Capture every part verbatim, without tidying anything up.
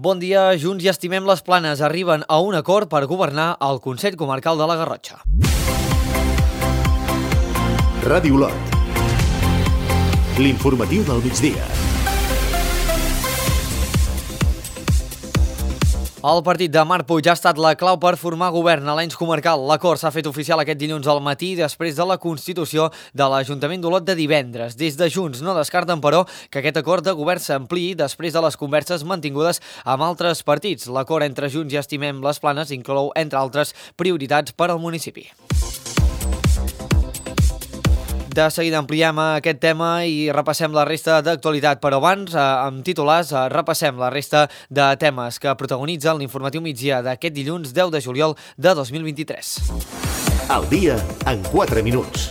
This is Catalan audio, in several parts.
Bon dia, Junts i Estimem les Planes arriben a un acord per governar el Consell Comarcal de la Garrotxa. Ràdio Olot. L'informatiu del migdia. El partit de Marc Puig ha estat la clau per formar govern a l'ens comarcal. L'acord s'ha fet oficial aquest dilluns al matí després de la constitució de l'Ajuntament d'Olot de divendres. Des de Junts no descarten, però, que aquest acord de govern s'ampliï després de les converses mantingudes amb altres partits. L'acord entre Junts i Estimem les Planes inclou, entre altres, prioritats per al municipi. De seguida ampliem aquest tema i repassem la resta d'actualitat, però abans, amb titulars, repassem la resta de temes que protagonitzen l'informatiu migdia d'aquest dilluns deu de juliol de dos mil vint-i-tres. Al dia en quatre minuts.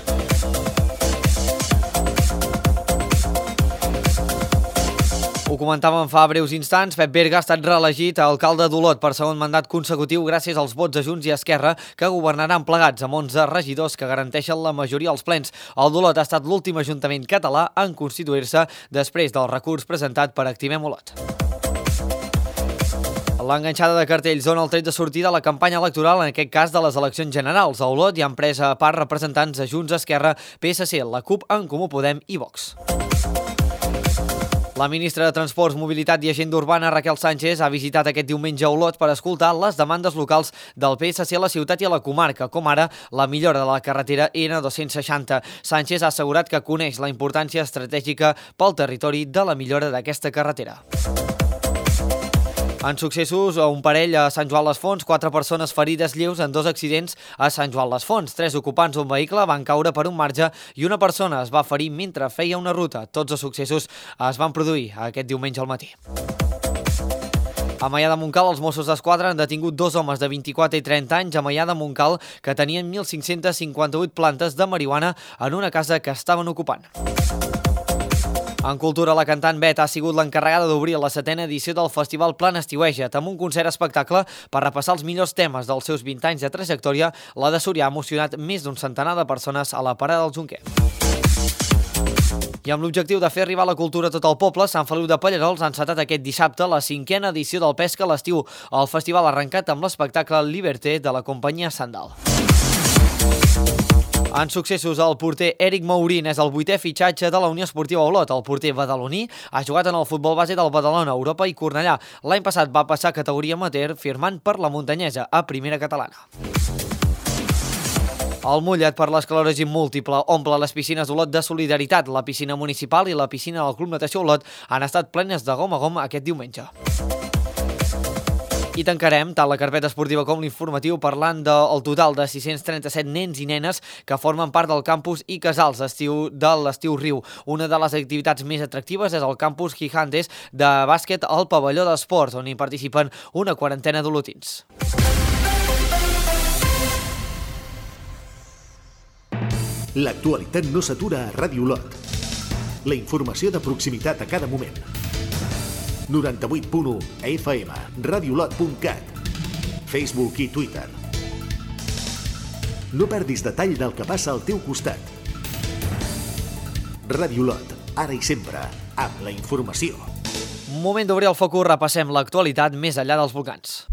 Ho comentàvem fa breus instants, Pep Berga ha estat reelegit alcalde d'Olot per segon mandat consecutiu gràcies als vots de Junts i Esquerra, que governaran plegats amb onze regidors que garanteixen la majoria als plens. El d'Olot ha estat l'últim ajuntament català en constituir-se després del recurs presentat per Activem Olot. L'enganxada de cartells dona el tret de sortida a la campanya electoral, en aquest cas de les eleccions generals. A Olot hi han pres a part representants de Junts, Esquerra, P S C, la CUP, En Comú Podem i Vox. La ministra de Transports, Mobilitat i Agenda Urbana, Raquel Sánchez, ha visitat aquest diumenge a Olot per escoltar les demandes locals del P S C a la ciutat i a la comarca, com ara la millora de la carretera N dos-cents seixanta. Sánchez ha assegurat que coneix la importància estratègica pel territori de la millora d'aquesta carretera. En successos, un parell a Sant Joan les Fonts, quatre persones ferides lleus en dos accidents a Sant Joan les Fonts. Tres ocupants d'un vehicle van caure per un marge i una persona es va ferir mentre feia una ruta. Tots els successos es van produir aquest diumenge al matí. A Maià de Montcal, els Mossos d'Esquadra han detingut dos homes de vint-i-quatre i trenta anys a Maià de Montcal que tenien mil cinc-cents cinquanta-vuit plantes de marihuana en una casa que estaven ocupant. En cultura, la cantant Bet ha sigut l'encarregada d'obrir la setena edició del Festival Plan Estiueja't, amb un concert espectacle per repassar els millors temes dels seus vint anys de trajectòria. La de Súria ha emocionat més d'un centenar de persones a la parada del Jonquer. I amb l'objectiu de fer arribar la cultura a tot el poble, Sant Feliu de Pallerols ha encetat aquest dissabte la cinquena edició del Pesca a l'estiu. El festival ha arrencat amb l'espectacle Liberté de la companyia Sandal. En successos, el porter Eric Mourín és el vuitè fitxatge de la Unió Esportiva Olot. El porter badaloní ha jugat en el futbol base del Badalona, Europa i Cornellà. L'any passat va passar a categoria amateur firmant per la Muntanyesa, a primera catalana. El mullet per l'esclerosi múltiple omple les piscines d'Olot de solidaritat. La piscina municipal i la piscina del Club Natació Olot han estat plenes de gom a gom aquest diumenge. I tancarem tant la carpeta esportiva com l'informatiu parlant del total de sis-cents trenta-set nens i nenes que formen part del campus i casals d'estiu de l'Estiu Riu. Una de les activitats més atractives és el campus Gigantes de bàsquet al pavelló d'esports, on hi participen una quarantena d'olotins. L'actualitat no s'atura a Ràdio Olot. La informació de proximitat a cada moment. noranta-vuit punt u F M, radiolot punt cat, Facebook i Twitter. No perdis detall del que passa al teu costat. Ràdio Olot, ara i sempre, amb la informació. Moment d'obrir el focus, repassem l'actualitat més enllà dels volcans.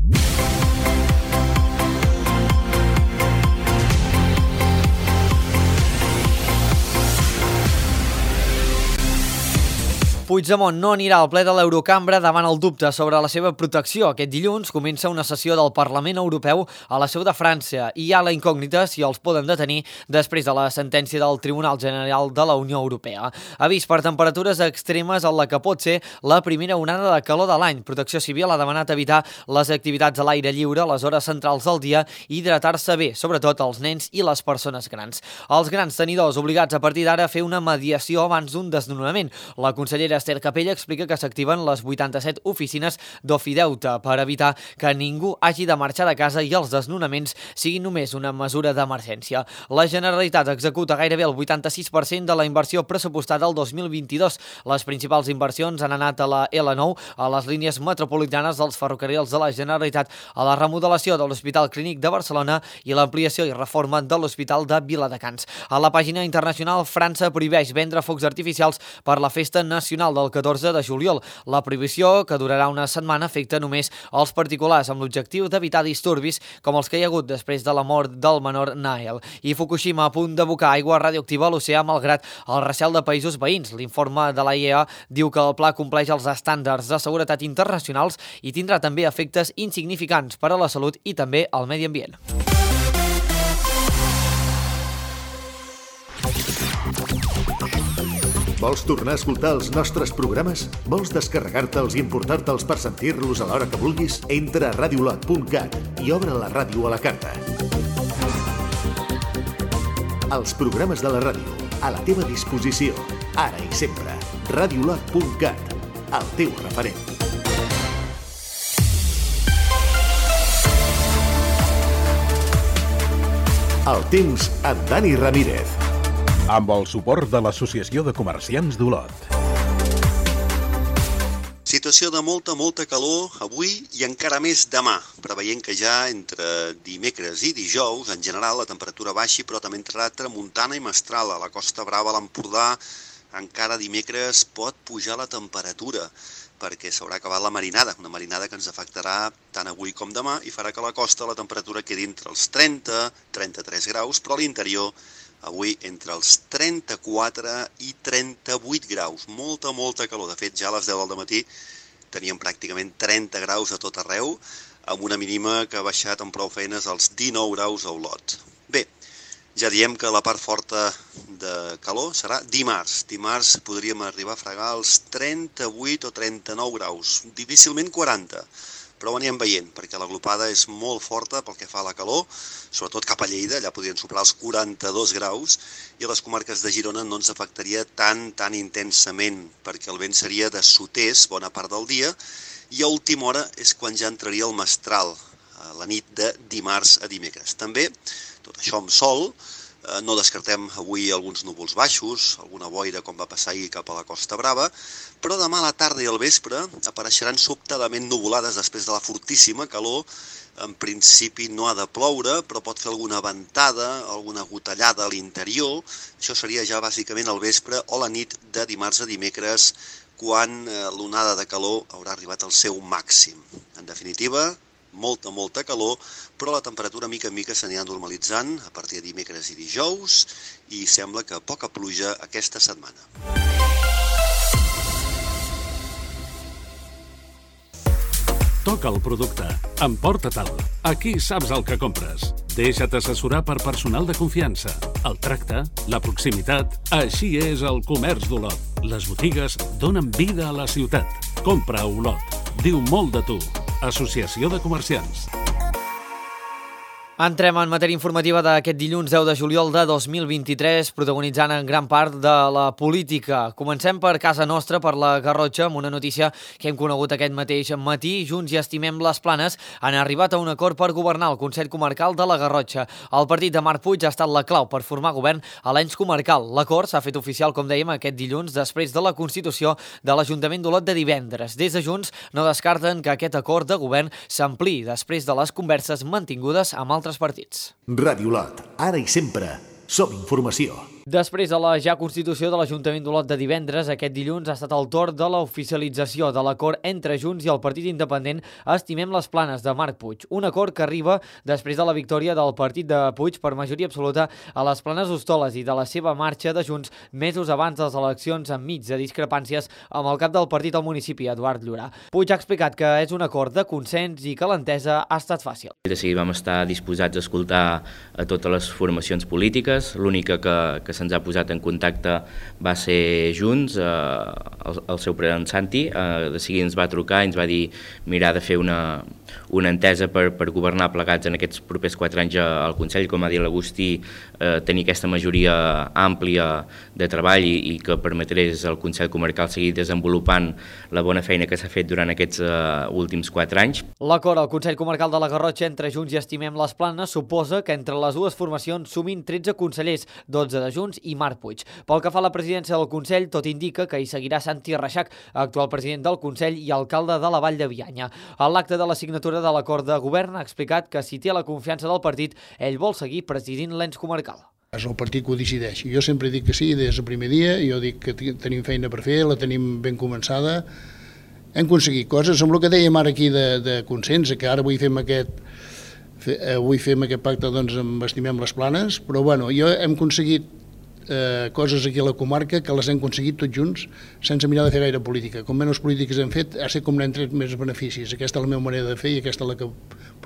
Puigdemont no anirà al ple de l'Eurocambra davant el dubte sobre la seva protecció. Aquest dilluns comença una sessió del Parlament Europeu a la seu de França i hi ha la incògnita si els poden detenir després de la sentència del Tribunal General de la Unió Europea. Avís per temperatures extremes en la que pot ser la primera onada de calor de l'any. Protecció Civil ha demanat evitar les activitats a l'aire lliure a les hores centrals del dia i hidratar-se bé, sobretot els nens i les persones grans. Els grans tenidors obligats a partir d'ara a fer una mediació abans d'un desnonament. La consellera Esther Capella explica que s'activen les vuitanta-set oficines d'Ofideute per evitar que ningú hagi de marxar de casa i els desnonaments siguin només una mesura d'emergència. La Generalitat executa gairebé el vuitanta-sis per cent de la inversió pressupostada el dos mil vint-i-dos. Les principals inversions han anat a la L nou, a les línies metropolitanes dels ferrocarrils de la Generalitat, a la remodelació de l'Hospital Clínic de Barcelona i l'ampliació i reforma de l'Hospital de Viladecans. A la pàgina internacional, França prohibeix vendre focs artificials per la Festa Nacional constitucional del catorze de juliol. La prohibició, que durarà una setmana, afecta només els particulars amb l'objectiu d'evitar disturbis com els que hi ha hagut després de la mort del menor Nael. I Fukushima a punt d'abocar aigua radioactiva a l'oceà malgrat el recel de països veïns. L'informe de la I A E diu que el pla compleix els estàndards de seguretat internacionals i tindrà també efectes insignificants per a la salut i també al medi ambient. Vols tornar a escoltar els nostres programes? Vols descarregar-te'ls i emportar-te'ls per sentir-los a l'hora que vulguis? Entra a radiolot punt cat i obre la ràdio a la carta. Els programes de la ràdio, a la teva disposició, ara i sempre. radiolot punt cat, el teu referent. El temps amb Dani Ramírez. Amb el suport de l'Associació de Comerciants d'Olot. Situació de molta, molta calor avui i encara més demà, preveient que ja entre dimecres i dijous, en general, la temperatura baixi, però també entrarà tramuntana i mestral. A la Costa Brava, a l'Empordà, encara dimecres pot pujar la temperatura, perquè s'haurà acabat la marinada, una marinada que ens afectarà tant avui com demà i farà que a la costa la temperatura quedi entre els trenta i trenta-tres graus, però a l'interior avui entre els trenta-quatre i trenta-vuit graus. Molta, molta calor. De fet, ja a les deu del matí teníem pràcticament trenta graus a tot arreu, amb una mínima que ha baixat amb prou feines als dinou graus a Olot. Bé, ja diem que la part forta de calor serà dimarts. Dimarts podríem arribar a fregar els trenta-vuit o trenta-nou graus, difícilment quaranta. Però ho anirem veient, perquè la glopada és molt forta pel que fa a la calor, sobretot cap a Lleida, allà podrien superar els quaranta-dos graus, i a les comarques de Girona no ens afectaria tan, tan intensament, perquè el vent seria de sud-est bona part del dia, i a última hora és quan ja entraria el mestral, a la nit de dimarts a dimecres. També, tot això amb sol, no descartem avui alguns núvols baixos, alguna boira com va passar ahir cap a la Costa Brava, però demà a la tarda i al vespre apareixeran sobtadament nuvolades després de la fortíssima calor. En principi no ha de ploure, però pot fer alguna ventada, alguna gotellada a l'interior. Això seria ja bàsicament al vespre o la nit de dimarts a dimecres, quan l'onada de calor haurà arribat al seu màxim. En definitiva, molta, molta calor, però la temperatura mica en mica s'anirà normalitzant a partir de dimecres i dijous i sembla que poca pluja aquesta setmana. Toca el producte. Emporta-te'l. Aquí saps el que compres. Deixa't assessorar per personal de confiança. El tracte, la proximitat, així és el comerç d'Olot. Les botigues donen vida a la ciutat. Compra a Olot. Diu molt de tu. Associació de Comerciants. Entrem en matèria informativa d'aquest dilluns deu de juliol de dos mil vint-i-tres, protagonitzant en gran part de la política. Comencem per casa nostra, per la Garrotxa, amb una notícia que hem conegut aquest mateix matí. Junts i Estimem les Planes han arribat a un acord per governar el Consell Comarcal de la Garrotxa. El partit de Marc Puig ha estat la clau per formar govern a l'ens comarcal. L'acord s'ha fet oficial, com dèiem, aquest dilluns després de la constitució de l'Ajuntament d'Olot de divendres. Des de Junts no descarten que aquest acord de govern s'ampliï després de les converses mantingudes amb altres partits. Ràdio Olot, ara i sempre, som informació. Després de la ja constitució de l'Ajuntament d'Olot de divendres, aquest dilluns ha estat el torn de l'oficialització de l'acord entre Junts i el partit independent Estimem les Planes de Marc Puig. Un acord que arriba després de la victòria del partit de Puig per majoria absoluta a les Planes Hostoles i de la seva marxa de Junts mesos abans de les eleccions, enmig de discrepàncies amb el cap del partit al municipi, Eduard Llorà. Puig ha explicat que és un acord de consens i que l'entesa ha estat fàcil. De seguida vam estar disposats a escoltar a totes les formacions polítiques. L'única que, que se'ns ha posat en contacte va ser Junts, eh, el, el seu president Santi. Eh, de seguida ens va trucar i ens va dir mirar de fer una, una entesa per, per governar plegats en aquests propers quatre anys al Consell, com ha dit l'Agustí, eh, tenir aquesta majoria àmplia de treball i, i que permetés al Consell Comarcal seguir desenvolupant la bona feina que s'ha fet durant aquests eh, últims quatre anys. L'acord al Consell Comarcal de la Garrotxa entre Junts i Estimem les Planes suposa que entre les dues formacions sumin tretze consellers, dotze de Junts i Marc Puig. Pel que fa a la presidència del Consell, tot indica que hi seguirà Santi Reixac, actual president del Consell i alcalde de la Vall de Bianya. A l'acte de la signatura de l'acord de govern ha explicat que si té la confiança del partit, ell vol seguir presidint l'ens comarcal. És el partit que ho decideix. Jo sempre dic que sí des del primer dia, jo dic que tenim feina per fer, la tenim ben començada, hem aconseguit coses, amb el que dèiem ara aquí de, de consens, que ara avui fem aquest, avui fem aquest pacte, doncs, amb Estimem les Planes, però bueno, jo hem aconseguit eh, coses aquí a la comarca que les hem aconseguit tots junts sense mirar de fer gaire política. Com menys polítiques hem fet, ha estat com n'hem tret més beneficis. Aquesta és la meva manera de fer i aquesta és la que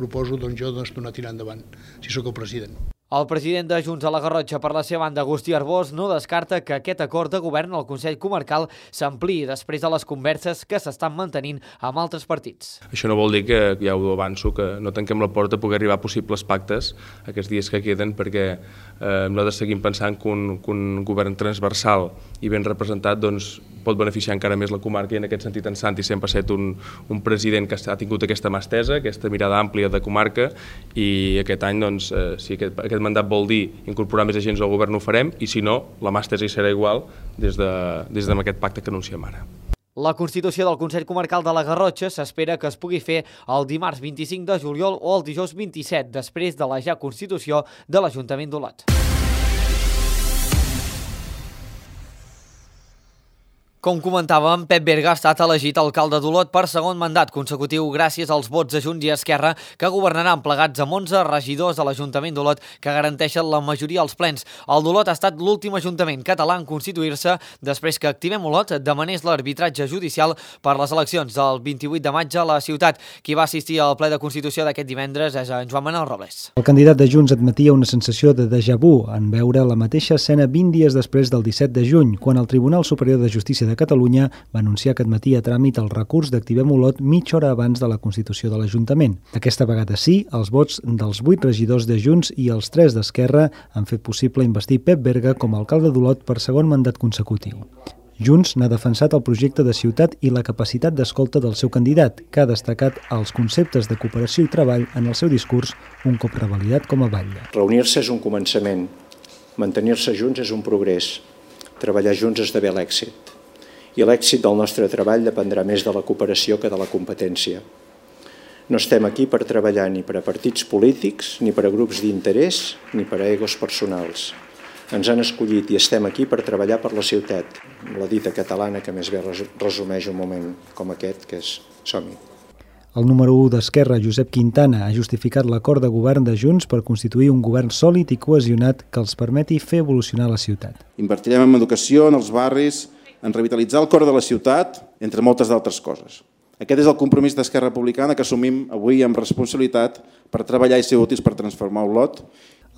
proposo doncs, jo doncs, donar tirant endavant, si sóc el president. El president de Junts a la Garrotxa, per la seva banda, Agustí Arbós, no descarta que aquest acord de govern al Consell Comarcal s'ampliï després de les converses que s'estan mantenint amb altres partits. Això no vol dir que, ja ho avanço, que no tanquem la porta a poder arribar a possibles pactes aquests dies que queden, perquè eh, nosaltres seguim pensant que un, que un govern transversal i ben representat doncs, pot beneficiar encara més la comarca, i en aquest sentit en Santi sempre ha estat un, un president que ha tingut aquesta mà estesa, aquesta mirada àmplia de comarca, i aquest any, doncs, eh, si aquest, aquest mandat vol dir incorporar més agents al govern, ho farem, i si no, la mà estesa hi serà igual des de, des d'aquest pacte que anunciem ara. La constitució del Consell Comarcal de la Garrotxa s'espera que es pugui fer el dimarts vint-i-cinc de juliol o el dijous vint-i-set, després de la ja constitució de l'Ajuntament d'Olot. Com comentàvem, Pep Berga ha estat elegit alcalde d'Olot per segon mandat consecutiu gràcies als vots de Junts i Esquerra, que governaran plegats amb onze regidors de l'Ajuntament d'Olot que garanteixen la majoria als plens. El d'Olot ha estat l'últim ajuntament català en constituir-se després que Activem Olot demanés l'arbitratge judicial per les eleccions del vint-i-vuit de maig a la ciutat. Qui va assistir al ple de Constitució d'aquest divendres és en Joan Manuel Robles. El candidat de Junts admetia una sensació de déjà vu en veure la mateixa escena vint dies després del disset de juny, quan el Tribunal Superior de Justícia de Catalunya va anunciar que admetia a tràmit el recurs d'Activem Olot mitja hora abans de la constitució de l'Ajuntament. Aquesta vegada sí, els vots dels vuit regidors de Junts i els tres d'Esquerra han fet possible investir Pep Berga com a alcalde d'Olot per segon mandat consecutiu. Junts n'ha defensat el projecte de ciutat i la capacitat d'escolta del seu candidat, que ha destacat els conceptes de cooperació i treball en el seu discurs, un cop revalidat com a batlle. Reunir-se és un començament, mantenir-se junts és un progrés, treballar junts esdevé l'èxit. I l'èxit del nostre treball dependrà més de la cooperació que de la competència. No estem aquí per treballar ni per a partits polítics, ni per a grups d'interès, ni per a egos personals. Ens han escollit i estem aquí per treballar per la ciutat, la dita catalana que més bé resumeix un moment com aquest, que és som-hi. El número u d'Esquerra, Josep Quintana, ha justificat l'acord de govern de Junts per constituir un govern sòlid i cohesionat que els permeti fer evolucionar la ciutat. Invertirem en educació, en els barris, en revitalitzar el cor de la ciutat, entre moltes d'altres coses. Aquest és el compromís d'Esquerra Republicana que assumim avui amb responsabilitat per treballar i ser útils per transformar Olot.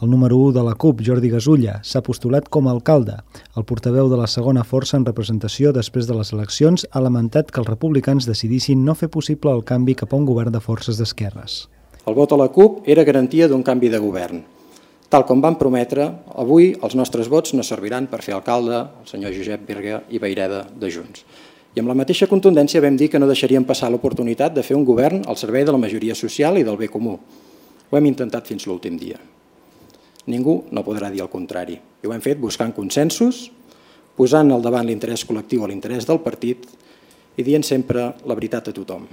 El número u de la CUP, Jordi Gasulla, s'ha postulat com a alcalde. El portaveu de la segona força en representació després de les eleccions ha lamentat que els republicans decidissin no fer possible el canvi cap a un govern de forces d'esquerres. El vot a la CUP era garantia d'un canvi de govern. Tal com van prometre, avui els nostres vots no serviran per fer alcalde el senyor Josep Berga i Vayreda de Junts. I amb la mateixa contundència vam dir que no deixaríem passar l'oportunitat de fer un govern al servei de la majoria social i del bé comú. Ho hem intentat fins l'últim dia. Ningú no podrà dir el contrari. I ho hem fet buscant consensos, posant al davant l'interès col·lectiu a l'interès del partit i dient sempre la veritat a tothom.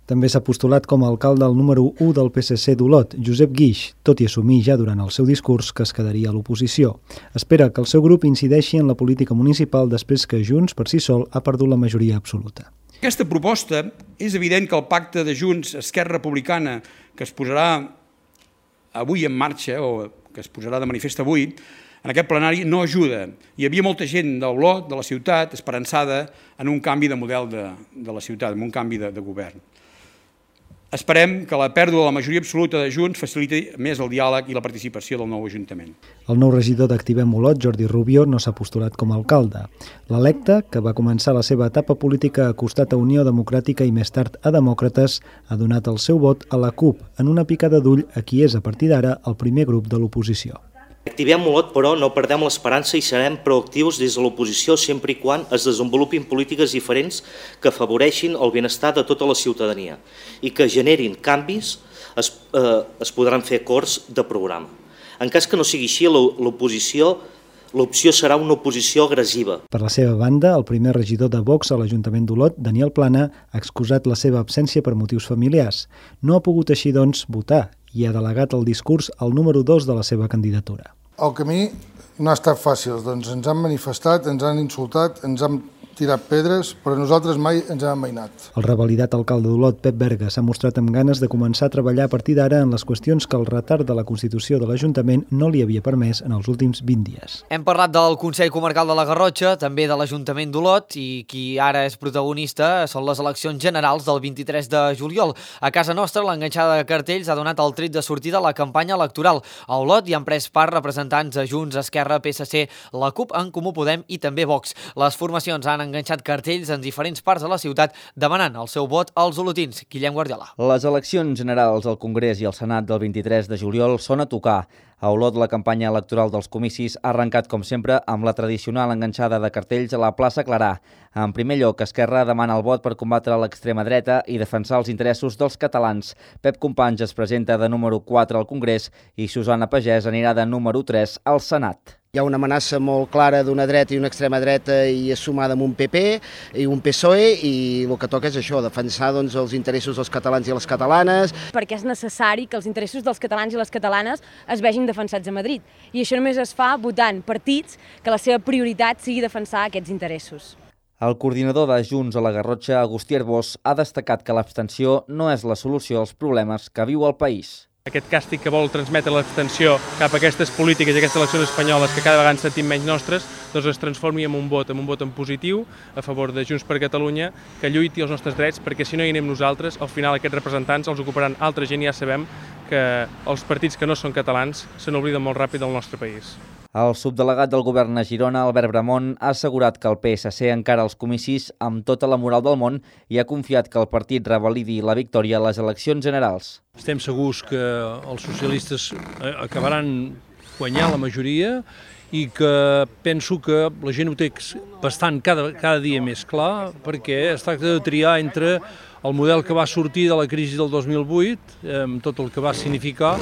També s'ha postulat com a alcalde el número u del P S C d'Olot, Josep Guix, tot i assumir ja durant el seu discurs que es quedaria a l'oposició. Espera que el seu grup incideixi en la política municipal després que Junts per si sol ha perdut la majoria absoluta. Aquesta proposta és evident que el pacte de Junts Esquerra Republicana que es posarà avui en marxa o que es posarà de manifest avui en aquest plenari no ajuda. Hi havia molta gent d'Olot, de la ciutat, esperançada en un canvi de model de, de la ciutat, en un canvi de, de govern. Esperem que la pèrdua de la majoria absoluta de Junts faciliti més el diàleg i la participació del nou Ajuntament. El nou regidor d'Activem Olot, Jordi Rubio, no s'ha postulat com a alcalde. L'electe, que va començar la seva etapa política a costat a Unió Democràtica i més tard a Demòcrates, ha donat el seu vot a la CUP en una picada d'ull a qui és a partir d'ara el primer grup de l'oposició. Activem Olot, però, no perdem l'esperança i serem proactius des de l'oposició sempre i quan es desenvolupin polítiques diferents que afavoreixin el benestar de tota la ciutadania i que generin canvis, es, eh, es podran fer acords de programa. En cas que no sigui així, l'oposició l'opció serà una oposició agressiva. Per la seva banda, el primer regidor de Vox a l'Ajuntament d'Olot, Daniel Plana, ha excusat la seva absència per motius familiars. No ha pogut així, doncs, votar i ha delegat el discurs al número dos de la seva candidatura. El camí no ha estat fàcil, doncs ens han manifestat, ens han insultat, ens han tirat pedres, però nosaltres mai ens hem amainat. El revalidat alcalde d'Olot, Pep Berga, s'ha mostrat amb ganes de començar a treballar a partir d'ara en les qüestions que el retard de la Constitució de l'Ajuntament no li havia permès en els últims vint dies. Hem parlat del Consell Comarcal de la Garrotxa, també de l'Ajuntament d'Olot, i qui ara és protagonista són les eleccions generals del vint-i-tres de juliol. A casa nostra, l'enganxada de cartells ha donat el tret de sortida a la campanya electoral. A Olot hi han pres part representants de Junts, Esquerra, P S C, la CUP, En Comú Podem i també Vox. Les formacions han enganxat cartells en diferents parts de la ciutat demanant el seu vot als olotins. Guillem Guardiola. Les eleccions generals al Congrés i al Senat del vint-i-tres de juliol són a tocar. A Olot, la campanya electoral dels comicis ha arrencat, com sempre, amb la tradicional enganxada de cartells a la plaça Clarà. En primer lloc, Esquerra demana el vot per combatre l'extrema dreta i defensar els interessos dels catalans. Pep Companys es presenta de número quatre al Congrés i Susana Pagès anirà de número tres al Senat. Hi ha una amenaça molt clara d'una dreta i una extrema dreta i sumada amb un P P i un P S O E i el que toca és això, defensar doncs, els interessos dels catalans i les catalanes. Perquè és necessari que els interessos dels catalans i les catalanes es vegin defensats a Madrid i això només es fa votant partits que la seva prioritat sigui defensar aquests interessos. El coordinador de Junts a la Garrotxa, Agustí Arbós, ha destacat que l'abstenció no és la solució als problemes que viu el país. Aquest càstig que vol transmetre l'abstenció cap a aquestes polítiques i aquestes eleccions espanyoles que cada vegada ens sentim menys nostres, doncs es transformi en un vot, en un vot en positiu a favor de Junts per Catalunya, que lluiti els nostres drets, perquè si no hi anem nosaltres, al final aquests representants els ocuparan altra gent i ja sabem que els partits que no són catalans se n'obliden molt ràpid del nostre país. El subdelegat del govern a Girona, Albert Bramont, ha assegurat que el P S C encara els comicis amb tota la moral del món i ha confiat que el partit revalidi la victòria a les eleccions generals. Estem segurs que els socialistes acabaran guanyant la majoria i que penso que la gent ho té bastant cada, cada dia més clar, perquè es tracta de triar entre el model que va sortir de la crisi del dos mil vuit, amb tot el que va significar,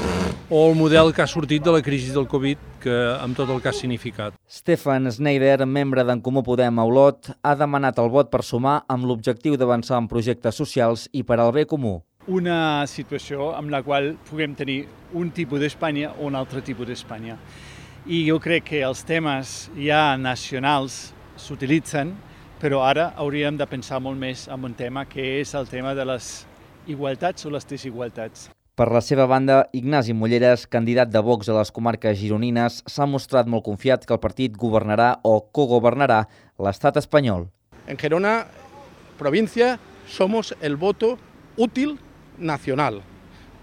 o el model que ha sortit de la crisi del Covid, que, amb tot el que ha significat. Stefan Schneider, membre d'En Comú Podem a Olot, ha demanat el vot per sumar amb l'objectiu d'avançar en projectes socials i per al bé comú. Una situació amb la qual puguem tenir un tipus d'Espanya o un altre tipus d'Espanya. I jo crec que els temes ja nacionals s'utilitzen, però ara hauríem de pensar molt més en un tema que és el tema de les igualtats o les desigualtats. Per la seva banda, Ignasi Mulleres, candidat de Vox a les comarques gironines, s'ha mostrat molt confiat que el partit governarà o cogovernarà l'estat espanyol. En Gerona, provincia, somos el voto útil nacional.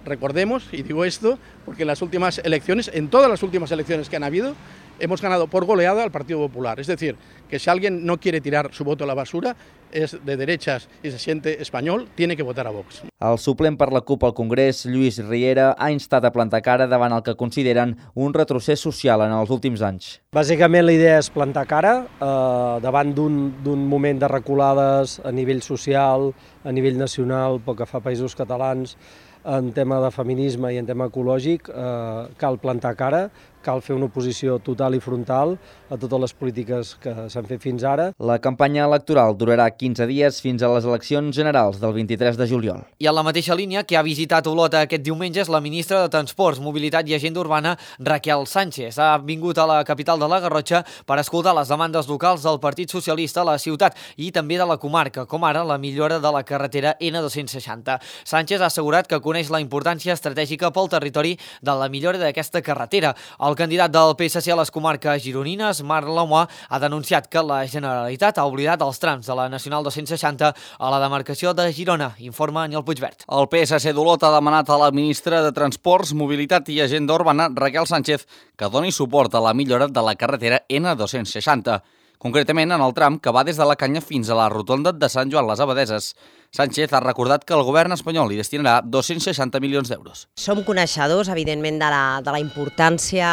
Recordemos, y digo esto, porque en las últimas elecciones, en todas las últimas elecciones que han habido, hemos ganado por goleada al Partido Popular. Es decir, que si alguien no quiere tirar su voto a la basura, es de derechas y se siente español, tiene que votar a Vox. El suplent per la CUP al Congrés, Lluís Riera, ha instat a plantar cara davant el que consideren un retrocés social en els últims anys. Bàsicament la idea és plantar cara eh, davant d'un moment de reculades a nivell social, a nivell nacional, pel que fa a països catalans, en tema de feminisme i en tema ecològic, eh, cal plantar cara, cal fer una oposició total i frontal a totes les polítiques que s'han fet fins ara. La campanya electoral durarà quinze dies fins a les eleccions generals del vint-i-tres de juliol. I en la mateixa línia que ha visitat Olot aquest diumenge és la ministra de Transports, Mobilitat i Agenda Urbana, Raquel Sánchez. Ha vingut a la capital de la Garrotxa per escoltar les demandes locals del Partit Socialista a la ciutat i també de la comarca, com ara la millora de la carretera ena dos-cents seixanta. Sánchez ha assegurat que coneix la importància estratègica pel territori de la millora d'aquesta carretera. El candidat del P S C a les comarques gironines, Marc Lamois, ha denunciat que la Generalitat ha oblidat els trams de la Nacional dos-cents seixanta a la demarcació de Girona, informa Aniol Puigvert. El P S C d'Olot ha demanat a la ministra de Transports, Mobilitat i Agenda Urbana, Raquel Sánchez, que doni suport a la millora de la carretera ena dos-cents seixanta, concretament en el tram que va des de la Canya fins a la rotonda de Sant Joan les Abadeses. Sánchez ha recordat que el govern espanyol hi destinarà dos-cents seixanta milions d'euros. Som coneixedors, evidentment, de la, de la importància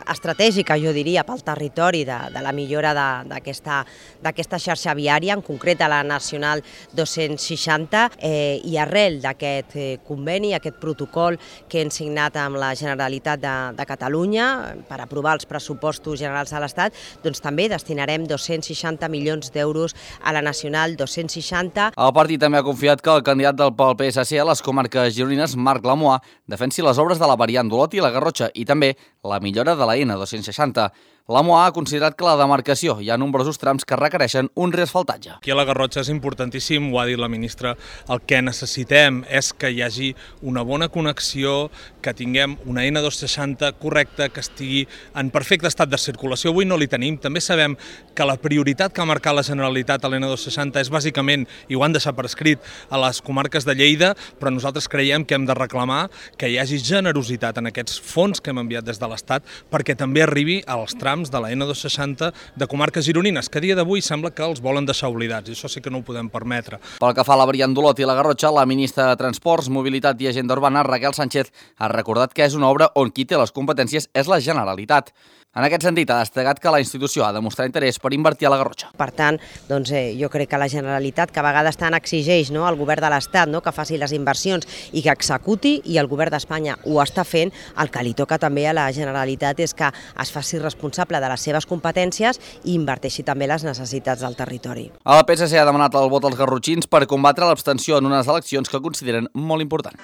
estratègica, jo diria, pel territori de, de la millora d'aquesta d'aquesta xarxa viària, en concret a la Nacional dos-cents seixanta, eh, i arrel d'aquest eh, conveni, aquest protocol que hem signat amb la Generalitat de, de Catalunya per aprovar els pressupostos generals de l'Estat, doncs també destinarem dos-cents seixanta milions d'euros a la Nacional dos-cents seixanta. El Partit i també ha confiat que el candidat del P S C a les comarques gironines, Marc Lamoa, defensi les obres de la variant d'Olot i la Garrotxa i també la millora de la N dos-cents seixanta. Lamoa ha considerat que la demarcació hi ha nombrosos trams que requereixen un reasfaltatge. Aquí a la Garrotxa és importantíssim, ho ha dit la ministra, el que necessitem és que hi hagi una bona connexió, que tinguem una N dos-cents seixanta correcta, que estigui en perfecte estat de circulació. Avui no li tenim. També sabem que la prioritat que ha marcat la Generalitat a l'N dos-cents seixanta és bàsicament, i ho han deixat per escrit, a les comarques de Lleida, però nosaltres creiem que hem de reclamar que hi hagi generositat en aquests fons que hem enviat des de l'Estat perquè també arribi als trams de la N dos-cents seixanta de comarques gironines, que a dia d'avui sembla que els volen deixar oblidats, i això sí que no ho podem permetre. Pel que fa a la variant d'Olot i la Garrotxa, la ministra de Transports, Mobilitat i Agenda Urbana, Raquel Sánchez, ha recordat que és una obra on qui té les competències és la Generalitat. En aquest sentit, ha destacat que la institució ha de mostrar interès per invertir a la Garrotxa. Per tant, doncs, eh, jo crec que la Generalitat, que a vegades tant exigeix, no, al govern de l'Estat, no, que faci les inversions i que executi, i el govern d'Espanya ho està fent, el que li toca també a la Generalitat és que es faci responsable de les seves competències i inverteixi també les necessitats del territori. El P S C ha demanat el vot als garrotxins per combatre l'abstenció en unes eleccions que consideren molt important.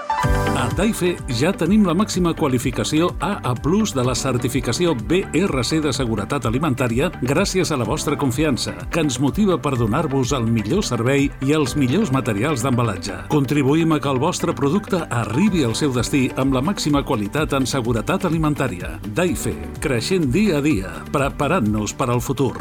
A Taife ja tenim la màxima qualificació A A plus de la certificació B R C de Seguretat Alimentària gràcies a la vostra confiança, que ens motiva per donar-vos el millor servei i els millors materials d'embalatge. Contribuïm a que el vostre producte arribi al seu destí amb la màxima qualitat en seguretat alimentària. Taife, creixent dia a dia, preparant-nos per al futur.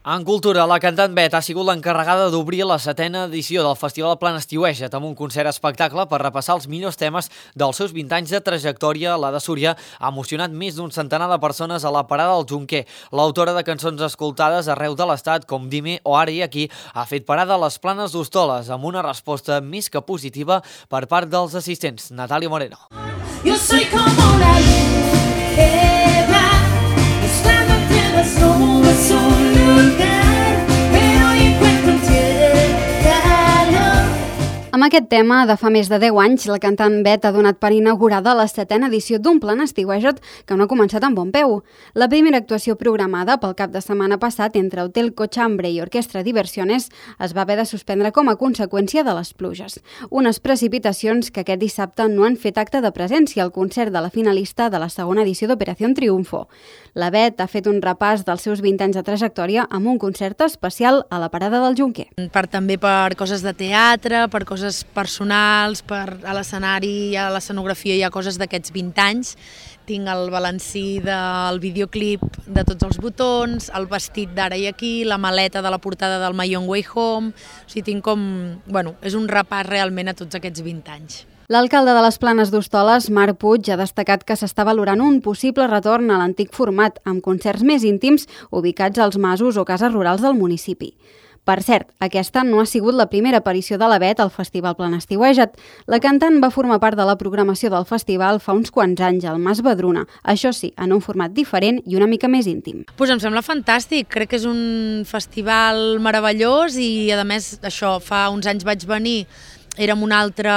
En cultura, la cantant Bet ha sigut l'encarregada d'obrir la setena edició del Festival Plan Estiueja't amb un concert espectacle per repassar els millors temes dels seus vint anys de trajectòria. La de Súria ha emocionat més d'un centenar de persones a la parada del Jonquer. L'autora de cançons escoltades arreu de l'Estat, com Dime o Ara i Aquí, ha fet parada a les Planes d'Hostoles amb una resposta més que positiva per part dels assistents. Natàlia Moreno. Yo soy como la ligera, estando entre las nubes un lugar, pero encuentro en ti el calor. Amb aquest tema, de fa més de deu anys, la cantant Bet ha donat per inaugurada la setena edició d'un Plan Estiueja't que no ha començat amb bon peu. La primera actuació programada pel cap de setmana passat entre Hotel Cochambre i Orquestra Diversiones es va haver de suspendre com a conseqüència de les pluges. Unes precipitacions que aquest dissabte no han fet acte de presència al concert de la finalista de la segona edició d'Operació Triunfo. La Bet ha fet un repàs dels seus vint anys de trajectòria amb un concert especial a la parada del Jonquer. Per, també per coses de teatre, per coses personals, per a l'escenari, a l'escenografia hi ha coses d'aquests vint anys. Tinc el balancí del videoclip de tots els botons, el vestit d'Ara i Aquí, la maleta de la portada del My Own Way Home. O sigui, tinc com... Bueno, és un repàs realment a tots aquests vint anys. L'alcalde de les Planes d'Hostoles, Marc Puig, ha destacat que s'està valorant un possible retorn a l'antic format, amb concerts més íntims ubicats als masos o cases rurals del municipi. Per cert, aquesta no ha sigut la primera aparició de la Bet al Festival Plan Estiueja't. La cantant va formar part de la programació del festival fa uns quants anys al Mas Badruna, això sí, en un format diferent i una mica més íntim. Pues em sembla fantàstic, crec que és un festival meravellós i a més això, fa uns anys vaig venir, érem un altre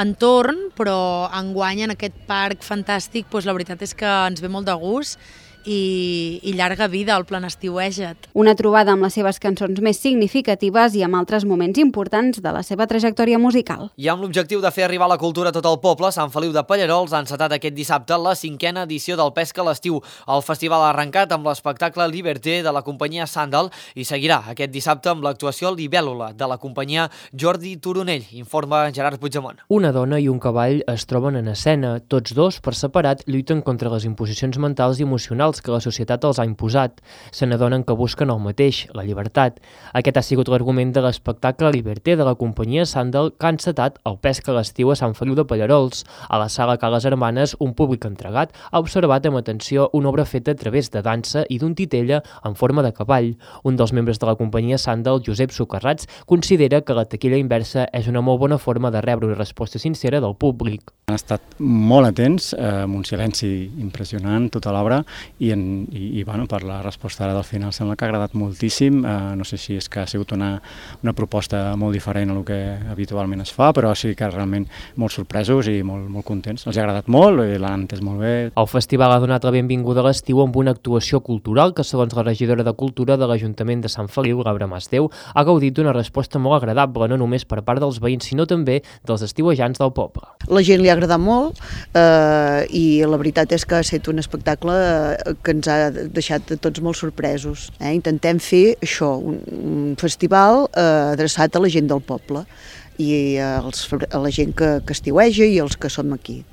entorn, però enguany en aquest parc fantàstic, doncs la veritat és que ens ve molt de gust i, i llarga vida al Plan Estiueja't. Una trobada amb les seves cançons més significatives i amb altres moments importants de la seva trajectòria musical. I amb l'objectiu de fer arribar la cultura a tot el poble, Sant Feliu de Pallerols ha encetat aquest dissabte la cinquena edició del Pesca a l'estiu. El festival ha arrencat amb l'espectacle Liberté de la companyia Sandal i seguirà aquest dissabte amb l'actuació Libèl·lula de la companyia Jordi Turonell, informa Gerard Puigdemont. Una dona i un cavall es troben en escena. Tots dos, per separat, lluiten contra les imposicions mentals i emocionals que la societat els ha imposat. Se n'adonen que busquen el mateix, la llibertat. Aquest ha sigut l'argument de l'espectacle Liberté de la companyia Sandal que ha encetat el Pesca a l'estiu a Sant Feliu de Pallerols. A la sala Ca les Hermanes, un públic entregat ha observat amb atenció una obra feta a través de dansa i d'un titella en forma de cavall. Un dels membres de la companyia Sandal, Josep Socarrats, considera que la taquilla inversa és una molt bona forma de rebre una resposta sincera del públic. Han estat molt atents, amb un silenci impressionant, tota l'obra, i, en, i, i bueno, per la resposta ara del final sembla que ha agradat moltíssim. Uh, no sé si és que ha sigut una, una proposta molt diferent a el que habitualment es fa, però sí que realment molt sorpresos i molt, molt contents. Els ha agradat molt i l'han entès molt bé. El festival ha donat la benvinguda a l'estiu amb una actuació cultural que, segons la regidora de Cultura de l'Ajuntament de Sant Feliu, Laura Masdeu, ha gaudit d'una resposta molt agradable, no només per part dels veïns, sinó també dels estiuejants del poble. La gent li ha agradat molt eh, i la veritat és que ha estat un espectacle que ens ha deixat tots molt sorpresos. Eh? Intentem fer això, un, un festival eh, adreçat a la gent del poble i als, a la gent que, que estiueja i els que som aquí.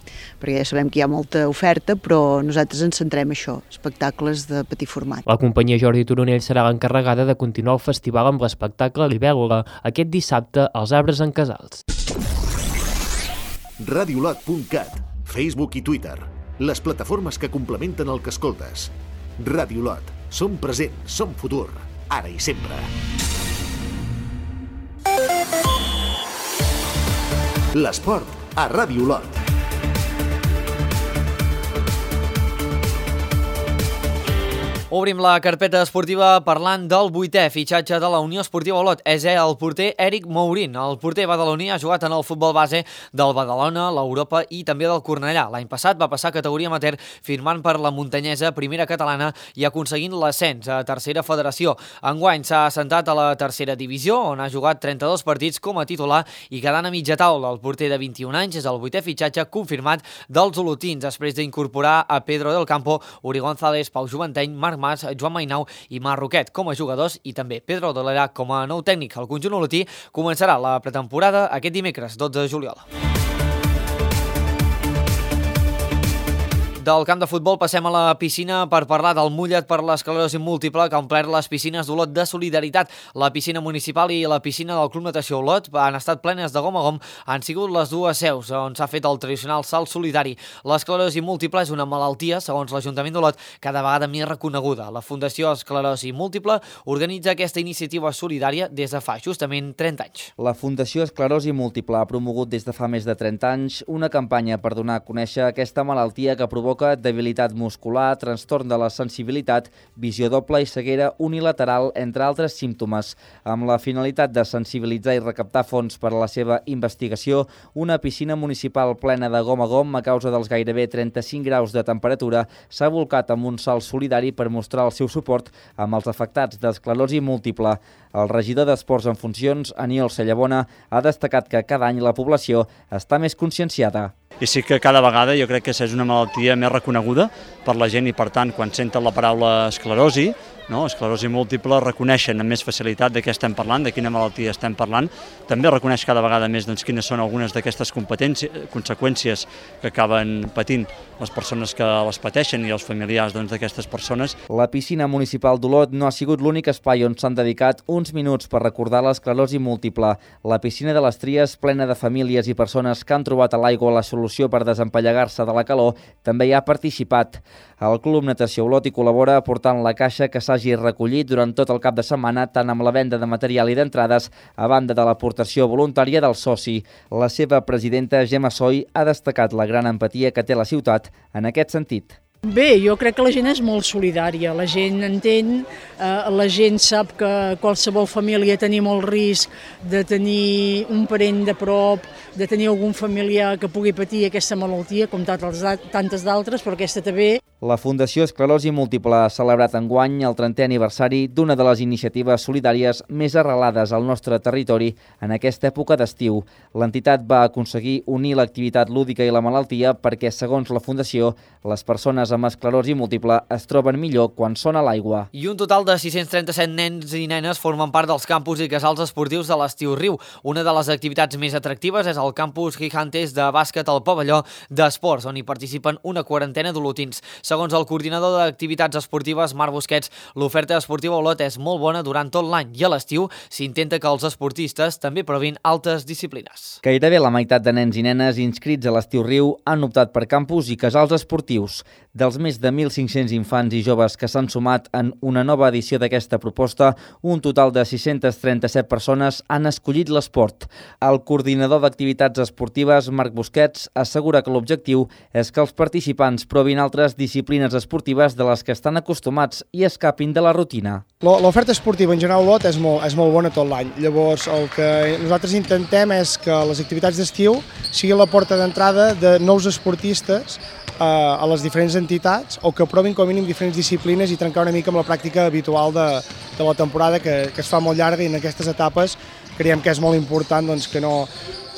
Perquè ja sabem que hi ha molta oferta, però nosaltres ens centrem en això, espectacles de petit format. La companyia Jordi Turonell serà l'encarregada de continuar el festival amb l'espectacle Libèl·lula aquest dissabte als Arbres en Casals. radiolot punt cat, Facebook i Twitter, les plataformes que complementen el que escoltes. Radiolot, som present, som futur, ara i sempre. L'esport a Radiolot. Obrim la carpeta esportiva parlant del vuitè fitxatge de la Unió Esportiva Olot. És el porter Eric Mourín. El porter badaloní ha jugat en el futbol base del Badalona, l'Europa i també del Cornellà. L'any passat va passar a categoria amateur firmant per la Muntanyesa, primera catalana, i aconseguint l'ascens a tercera federació. Enguany s'ha assentat a la tercera divisió, on ha jugat trenta-dos partits com a titular i quedant a mitja taula. El porter de vint-i-un anys és el vuitè fitxatge confirmat dels olotins, després d'incorporar a Pedro del Campo, Uri González, Pau Juventeny, Marc Mas, Joan Mainau i Marc Roquet com a jugadors i també Pedro Dolera com a nou tècnic. El conjunt olotí començarà la pretemporada aquest dimecres, dotze de juliol. Del camp de futbol passem a la piscina per parlar del mullet per l'esclerosi múltiple que ha omplert les piscines d'Olot de solidaritat. La piscina municipal i la piscina del Club Natació Olot han estat plenes de gom a gom, han sigut les dues seus on s'ha fet el tradicional salt solidari. L'esclerosi múltiple és una malaltia, segons l'Ajuntament d'Olot, cada vegada més reconeguda. La Fundació Esclerosi Múltiple organitza aquesta iniciativa solidària des de fa justament trenta anys. La Fundació Esclerosi Múltiple ha promogut des de fa més de trenta anys una campanya per donar a conèixer aquesta malaltia que provoca debilitat muscular, trastorn de la sensibilitat, visió doble i ceguera unilateral, entre altres símptomes. Amb la finalitat de sensibilitzar i recaptar fons per a la seva investigació, una piscina municipal plena de gom a gom a causa dels gairebé trenta-cinc graus de temperatura s'ha volcat amb un salt solidari per mostrar el seu suport amb els afectats d'esclerosi múltiple. El regidor d'Esports en funcions, Aniol Cellabona, ha destacat que cada any la població està més conscienciada. I sí que cada vegada jo crec que és una malaltia més reconeguda per la gent i, per tant, quan senten la paraula esclerosi, no? esclerosi múltiple, reconeixen amb més facilitat de què estem parlant, de quina malaltia estem parlant. També reconeix cada vegada més doncs, quines són algunes d'aquestes conseqüències que acaben patint les persones que les pateixen i els familiars doncs, d'aquestes persones. La piscina municipal d'Olot no ha sigut l'únic espai on s'han dedicat uns minuts per recordar l'esclerosi múltiple. La piscina de les Tries, plena de famílies i persones que han trobat a l'aigua la solució per desempallegar-se de la calor, també hi ha participat. El Club Natació Olot hi col·labora aportant la caixa que s'hagi recollit durant tot el cap de setmana, tant amb la venda de material i d'entrades, a banda de l'aportació voluntària del soci. La seva presidenta, Gemma Soy, ha destacat la gran empatia que té la ciutat en aquest sentit. Bé, jo crec que la gent és molt solidària, la gent entén, eh, la gent sap que qualsevol família tenim el risc de tenir un parent de prop, de tenir algun familiar que pugui patir aquesta malaltia, com tantes d'altres, però aquesta també. La Fundació Esclerosi Múltiple ha celebrat enguany el trentè aniversari d'una de les iniciatives solidàries més arrelades al nostre territori en aquesta època d'estiu. L'entitat va aconseguir unir l'activitat lúdica i la malaltia perquè, segons la Fundació, les persones amb esclerosi múltiple es troben millor quan són a l'aigua. I un total de sis-cents trenta-set nens i nenes formen part dels campus i casals esportius de l'Estiu Riu. Una de les activitats més atractives és el campus Gigantes de bàsquet al pavelló d'esports, on hi participen una quarantena d'olotins. Segons el coordinador d'activitats esportives, Marc Busquets, l'oferta esportiva a Olot és molt bona durant tot l'any i a l'estiu s'intenta que els esportistes també provin altres disciplines. Gairebé la meitat de nens i nenes inscrits a l'Estiu Riu han optat per campus i casals esportius. Dels més de mil cinc-cents infants i joves que s'han sumat en una nova edició d'aquesta proposta, un total de sis-cents trenta-set persones han escollit l'esport. El coordinador d'activitats esportives, Marc Busquets, assegura que l'objectiu és que els participants provin altres disciplines disciplines esportives de les que estan acostumats i escapin de la rutina. L'oferta esportiva en general a Olot és molt, és molt bona tot l'any. Llavors, el que nosaltres intentem és que les activitats d'estiu siguin la porta d'entrada de nous esportistes eh, a les diferents entitats o que provin com a mínim diferents disciplines i trencar una mica amb la pràctica habitual de, de la temporada que, que es fa molt llarga, i en aquestes etapes creiem que és molt important doncs, que no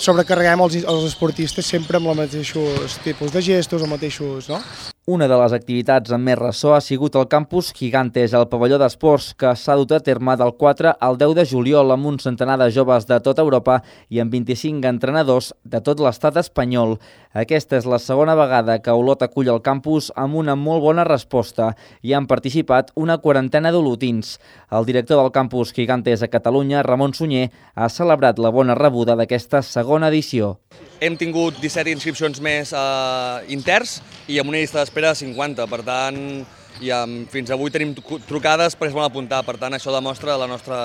sobrecarreguem els, els esportistes sempre amb els mateixos tipus de gestos, els mateixos... No? Una de les activitats amb més ressò ha sigut el Campus Gigantes, el pavelló d'esports, que s'ha dut a terme del quatre al deu de juliol amb un centenar de joves de tota Europa i amb vint-i-cinc entrenadors de tot l'estat espanyol. Aquesta és la segona vegada que Olot acull el campus amb una molt bona resposta. Hi han participat una quarantena d'olotins. El director del Campus Gigantes a Catalunya, Ramon Sunyer, ha celebrat la bona rebuda d'aquesta segona edició. Hem tingut disset inscripcions més eh, interns i amb una llista d'espera de cinquanta. Per tant, i amb, fins avui tenim trucades perquè es volen apuntar. Per tant, això demostra la nostra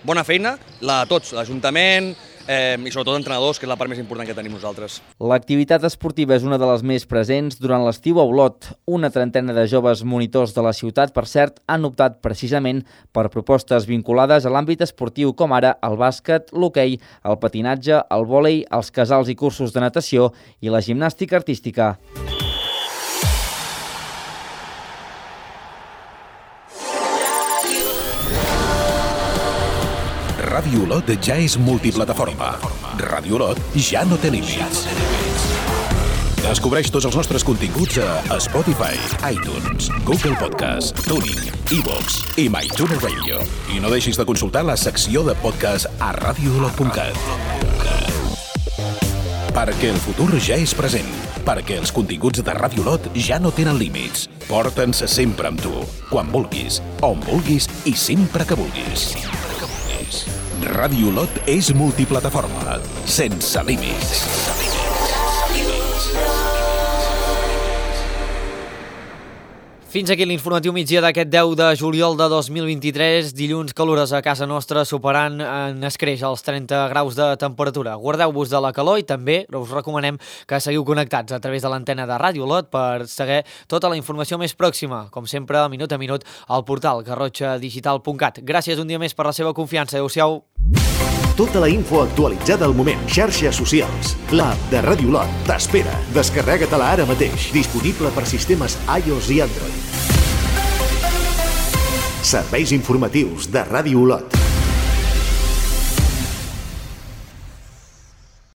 bona feina, la de tots, l'Ajuntament, eh, i sobretot entrenadors, que és la part més important que tenim nosaltres. L'activitat esportiva és una de les més presents durant l'estiu a Olot. Una trentena de joves monitors de la ciutat, per cert, han optat precisament per propostes vinculades a l'àmbit esportiu, com ara el bàsquet, l'hoquei, el patinatge, el vòlei, els casals i cursos de natació i la gimnàstica artística. Ràdio Olot ja és multiplataforma. Ràdio Olot ja no té límits. Descobreix tots els nostres continguts a Spotify, iTunes, Google Podcast, Tuning, iVoox i MyTuner Radio. I no deixis de consultar la secció de podcast a radio olot punt cat. Perquè el futur ja és present. Perquè els continguts de Ràdio Olot ja no tenen límits. Porta'ns sempre amb tu, quan vulguis, on vulguis i sempre que vulguis. Ràdio Olot és multiplataforma, sense límits. Fins aquí l'informatiu migdia d'aquest deu de juliol de dos mil vint-i-tres, dilluns calorós a casa nostra, superant en escreix els trenta graus de temperatura. Guardeu-vos de la calor i també us recomanem que seguiu connectats a través de l'antena de Ràdio Olot per saber tota la informació més pròxima, com sempre, minut a minut, al portal garrotxa digital punt cat. Gràcies un dia més per la seva confiança. Adéu-siau. Tota la info actualitzada al moment. Xarxes socials. L'app de Ràdio Olot t'espera. Descarrega-te-la ara mateix. Disponible per sistemes iOS i Android. Serveis informatius de Ràdio Olot.